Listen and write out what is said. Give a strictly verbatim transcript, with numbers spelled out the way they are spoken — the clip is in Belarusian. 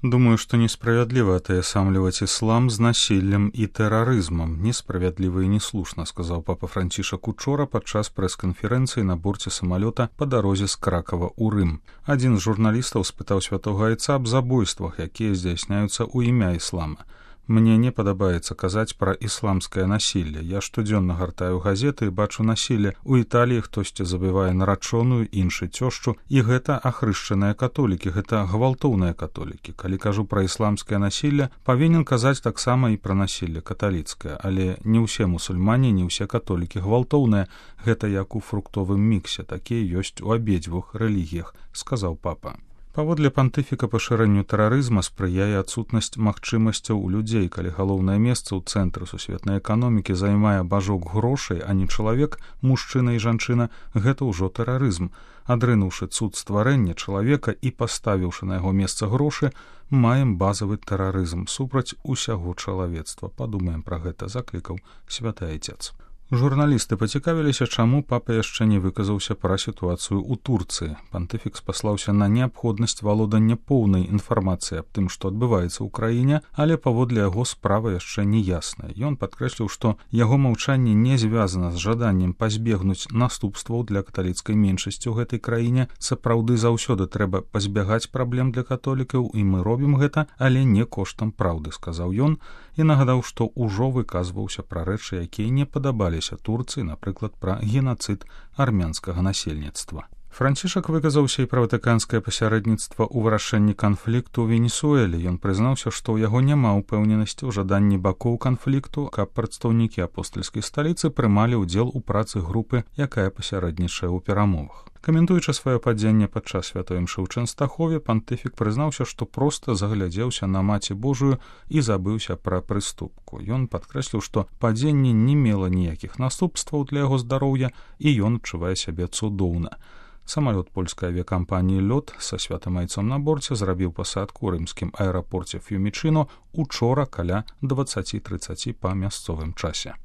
Думаю, что несправедливо отъясамливать ислам с насилием и терроризмом. Несправедливо и неслушно, сказал папа Францішак учора падчас прэс-канферэнцыі на борце самолета по дорозе з Кракова ў Рым. Адзін з журналістаў спытаў святога айца аб забойствах, якія здзяйсняюцца ў імя іслама. Мне не падабаецца казаць пра ісламскае насілле. Я штодзённа гартаю газеты і бачу насілле. У Італіі хтосьці забівае нарачоную, іншы цёшчу, і гэта ахрышчаныя католікі, гэта гвалтоўныя католікі. Калі кажу пра ісламскае насілле, павінен казаць таксама і пра насілле каталіцкае, але не ўсе мусульмане, не ўсе католікі гвалтоўныя. Гэта як у фруктовым міксе, такія ёсць у абедзвюх рэлігіях, сказаў папа. Паводле пантыфіка пашырэнню тэрарызма спрыяе адсутнасць магчымасцяў у людзей, калі галоўнае месца ў цэнтры сусветнай эканомікі займае бажок грошай, а не чалавек, мужчына і жанчына, гэта ўжо тэрарызм. Адрынуўшы цуд стварэння чалавека і паставіўшы на яго месца грошы, маем базавы тэрарызм супраць усяго чалавецтва. Падумаем пра гэта, заклікаў святы айцец. Журналісты пацікавіліся, чаму папа яшчэ не выказаўся пра сітуацыю ў Турцыі. Пантыфік спаслаўся на неабходнасць валодання поўнай інфармацыі аб тым, што адбываецца ў краіне, але паводле яго справа яшчэ не ясная. Ён падкрэсліў, што яго маўчанне не звязана з жаданнем пазбегнуць наступстваў для каталіцкай меншасці ў гэтай краіне. Сапраўды заўсёды трэба пазбягаць праблем для католікаў, і мы робім гэта, але не коштам праўды, сказаў ён, і нагадаў, што ўжо выказваўся пра рэчы, якія не падабаліся Турцыі, напрыклад, пра генацыд армянскага насельніцтва. Францішак выказаўся і пра ватыканскае пасярэдніцтва ў вырашэнні канфлікту ў Венесуэле. Ён прызнаўся, што ў яго няма ўпэўненасці ў жаданні бакоў канфлікту, каб прадстаўнікі апостальскай сталіцы прымалі ўдзел у працы групы, якая пасярэднічае ў перамовах. Каментуючы сваё падзенне падчас святой імшы ў Чэнстахове, пантыфік прызнаўся, што проста заглядзеўся на Маці Божую і забыўся пра прыступку. Ён падкрэсліў, што падзенне не мела ніякіх наступстваў для яго здароўя, і ён адчувае сябе цудоўна. Самалёт польскай авіякампаніі «Лёт» са святым айцом на борце зрабіў пасадку ў рымскім аэрапорце Ф'юмічыно учора каля дваццаці трыццаці па мясцовым часе.